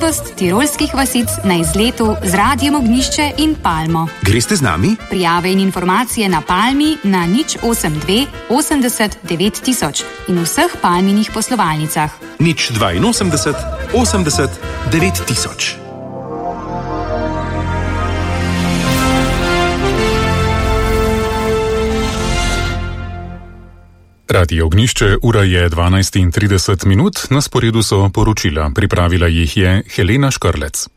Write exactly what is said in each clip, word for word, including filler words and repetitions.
tirolskih vasic na izletu z Radiem Ognjišče in Palmo. Greste z nami? Prijave in informacije na Palmi na nič osem dve osemdeset devet tisoč in vseh Palminih poslovalnicah. nič dvainosemdeset osemdeset devet tisoč. Radio Ognjišče, ura je dvanajst in trideset minut, na sporedu so poročila, pripravila jih je Helena Škrlec.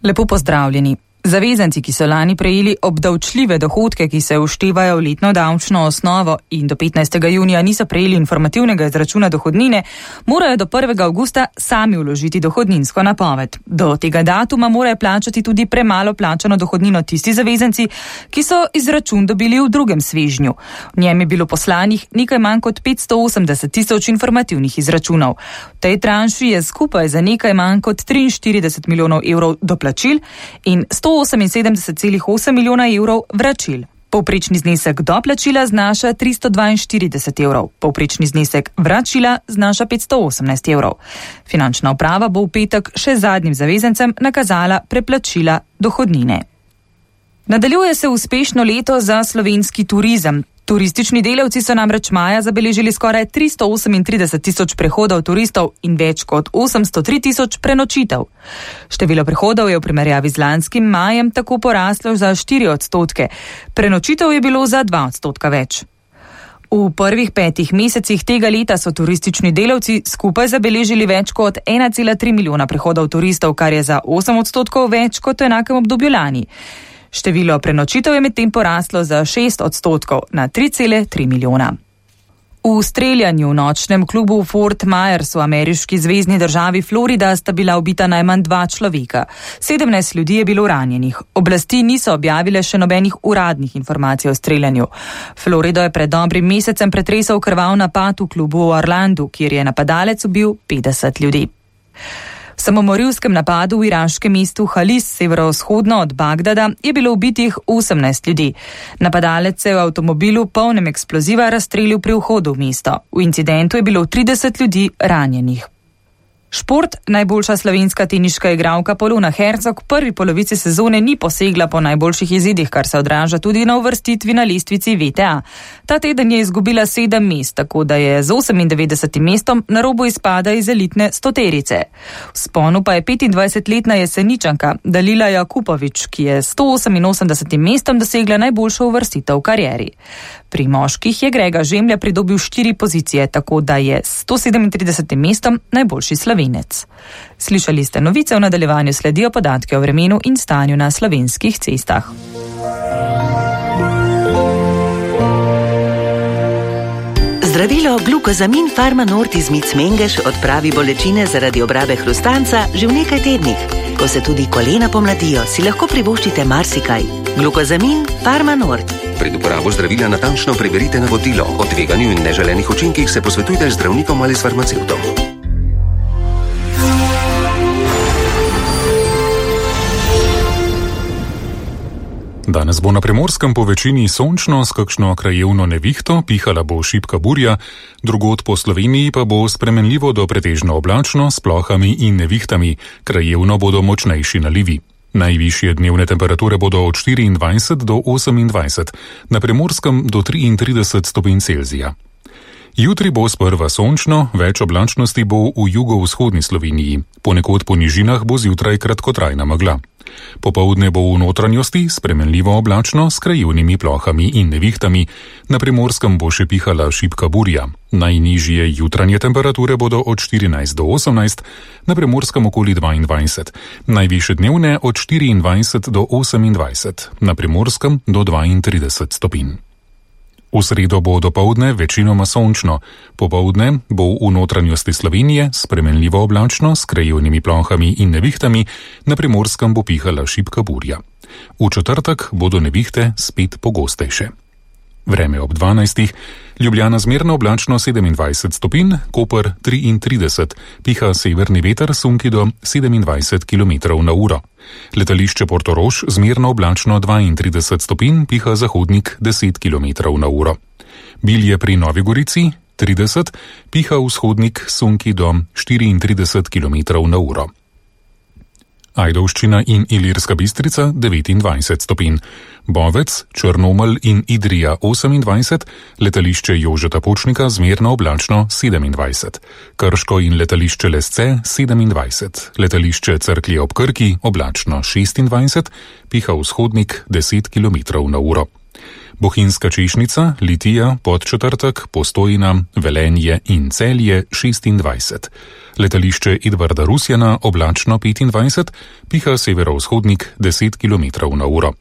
Lepo pozdravljeni. Zavezanci, ki so lani prejeli obdavčljive dohodke, ki se vštevajo v letno davčno osnovo in do petnajstega junija niso prejeli informativnega izračuna dohodnine, morajo do prvega avgusta sami vložiti dohodninsko napoved. Do tega datuma morajo plačati tudi premalo plačano dohodnino tisti zavezanci, ki so izračun dobili v drugem svežnju. V njem je bilo poslanih nekaj manj kot petsto osemdeset tisoč informativnih izračunov. V tej tranši je skupaj za nekaj manj kot triinštirideset milijonov evrov doplačil in sto oseminsedemdeset celih osem milijona evrov vračil. Povprečni znesek doplačila znaša tristo dvainštirideset evrov, povprečni znesek vračila znaša petsto osemnajst evrov. Finančna uprava bo v petek še zadnjim zavezancem nakazala preplačila dohodnine. Nadaljuje se uspešno leto za slovenski turizem. Turistični delavci so namreč maja zabeležili skoraj tristo osemintrideset tisoč prehodov turistov in več kot osemsto tri tisoč prenočitev. Število prehodov je v primerjavi z lanskim majem tako poraslo za štiri odstotke. Prenočitev je bilo za dva odstotka več. V prvih petih mesecih tega leta so turistični delavci skupaj zabeležili več kot ena cela tri milijona prehodov turistov, kar je za osem odstotkov več kot v enakem obdobju lani. Število prenočitev je medtem poraslo za šest odstotkov na tri cele tri milijona. V streljanju v nočnem klubu Fort Myers v ameriški zvezni državi Florida sta bila ubita najmanj dva človeka. sedemnajst ljudi je bilo ranjenih. Oblasti niso objavile še nobenih uradnih informacij o streljanju. Florido je pred dobrim mesecem pretresel krvav napad v klubu v Orlandu, kjer je napadalec ubil petdeset ljudi. V samomorilskem napadu v iraškem mestu Halis, severovzhodno od Bagdada, je bilo ubitih osemnajst ljudi. Napadalec se je v avtomobilu polnem eksploziva razstrelil pri vhodu v mesto. V incidentu je bilo trideset ljudi ranjenih. Šport. Najboljša slovenska teniška igralka Polona Hercog v prvi polovici sezone ni posegla po najboljših izidih, kar se odraža tudi na uvrstitvi na lestvici V T A. Ta teden je izgubila sedem mest, tako da je z osemindevetdesetim mestom na robu izpada iz elitne stoterice. V sponu pa je petindvajsetletna Jeseničanka Dalila Jakupović, ki je s sto oseminosemdesetim mestom dosegla najboljšo uvrstitev v karieri. Pri moških je Grega Žemlja pridobil štiri pozicije, tako da je s sto sedemintridesetim mestom najboljši Slovenec. Slišali ste novice, v nadaljevanju sledijo podatke o vremenu in stanju na slovenskih cestah. Zdravilo Glukozamin Pharma-Nord iz Mic Mengeš odpravi bolečine zaradi obrabe hrustanca že v nekaj tednih. Ko se tudi kolena pomladijo, si lahko privoščite marsikaj. Glukozamin Pharma-Nord. Pred uporabo zdravila natančno preverite navodilo. O tveganju in neželenih učinkih se posvetujte z zdravnikom ali s farmacevtom. Danes bo na Primorskem po večini sončno s kakšno krajevno nevihto, pihala bo šibka burja, drugod po Sloveniji pa bo spremenljivo do pretežno oblačno s plohami in nevihtami, krajevno bodo močnejši nalivi. Najvišje dnevne temperature bodo od štiriindvajset do osemindvajset, na Primorskem do triintrideset stopinj Celzija. Jutri bo sprva sončno, več oblačnosti bo v jugovzhodni Sloveniji, ponekod po nižinah bo zjutraj kratkotrajna megla. Popoldne bo v notranjosti spremenljivo oblačno s krajevnimi plohami in nevihtami, na Primorskem bo še pihala šibka burja. Najnižje jutranje temperature bodo od štirinajst do osemnajst, na Primorskem okoli dvaindvajset, najvišje dnevne od štiriindvajset do osemindvajset, na Primorskem do dvaintrideset stopinj. V sredo bo dopoldne večinoma sončno, popoldne bo v notranjosti Slovenije spremenljivo oblačno s krajevnimi plohami in nevihtami, na Primorskem bo pihala šibka burja. V četrtek bodo nevihte spet pogostejše. Vreme ob dvanajstih, Ljubljana zmerno oblačno sedemindvajset stopinj, Koper triintrideset, piha severni veter sunki do sedemindvajset kilometrov na uro. Letališče Portorož zmerno oblačno dvaintrideset stopinj, piha zahodnik deset kilometrov na uro. Bilje pri Novi Gorici trideset, piha vzhodnik sunki do štiriintrideset kilometrov na uro. Ajdovščina in Ilirska Bistrica devetindvajset stopinj, Bovec, Črnomelj in Idrija osemindvajset, letališče Jožeta Pučnika zmerno oblačno sedemindvajset, Krško in letališče Lesce sedemindvajset, letališče Cerklje ob Krki oblačno šestindvajset, piha vzhodnik deset kilometrov na uro. Bohinjska Češnica, Litija, Podčetrtek, Postojna, Velenje in Celje šestindvajset. Letališče Edvarda Rusjana oblačno petindvajset, piha severovzhodnik deset kilometrov na uro.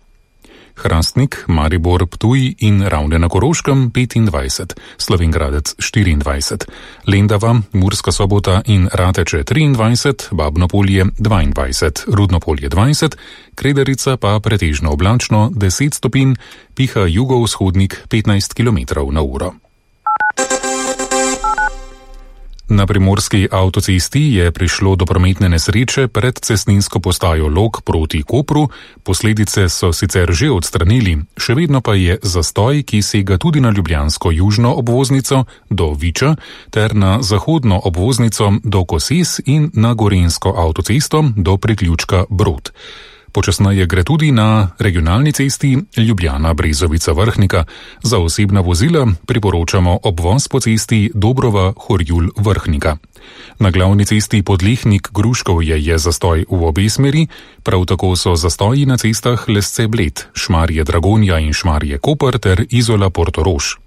Hrastnik, Maribor, Ptuj in Ravne na Koroškem petindvajset, Slovenj Gradec štiriindvajset, Lendava, Murska Sobota in Rateče triindvajset, Babno Polje dvaindvajset, Rudno Polje dvajset, Krederica pa pretežno oblačno deset stopinj, piha jugovzhodnik petnajst kilometrov na uro. Na primorski avtocesti je prišlo do prometne nesreče pred cestninsko postajo Log proti Kopru, posledice so sicer že odstranili, še vedno pa je zastoj, ki sega tudi na ljubljansko južno obvoznico do Viča ter na zahodno obvoznico do Koses in na gorenjsko avtocesto do priključka Brod. Počasneje gre tudi na regionalni cesti Ljubljana-Brezovica-Vrhnika. Za osebna vozila priporočamo obvoz po cesti Dobrova-Horjul-Vrhnika. Na glavni cesti Podlehnik-Gruškovje je zastoj v obe smeri, prav tako so zastoji na cestah Lesce-Bled, Šmarje-Dragonja in Šmarje-Koper ter Izola-Portorož.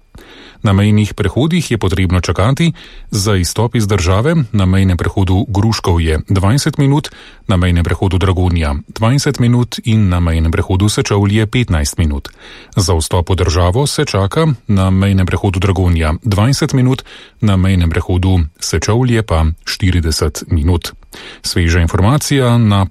Na mejnih prehodih je potrebno čakati za izstop iz države na mejnem prehodu Gruškovje dvajset minut, na mejnem prehodu Dragonja dvajset minut in na mejnem prehodu Sečovlje petnajst minut. Za vstop v državo se čaka na mejnem prehodu Dragonja dvajset minut, na mejnem prehodu Sečovlje pa štirideset minut. Sveža informacija na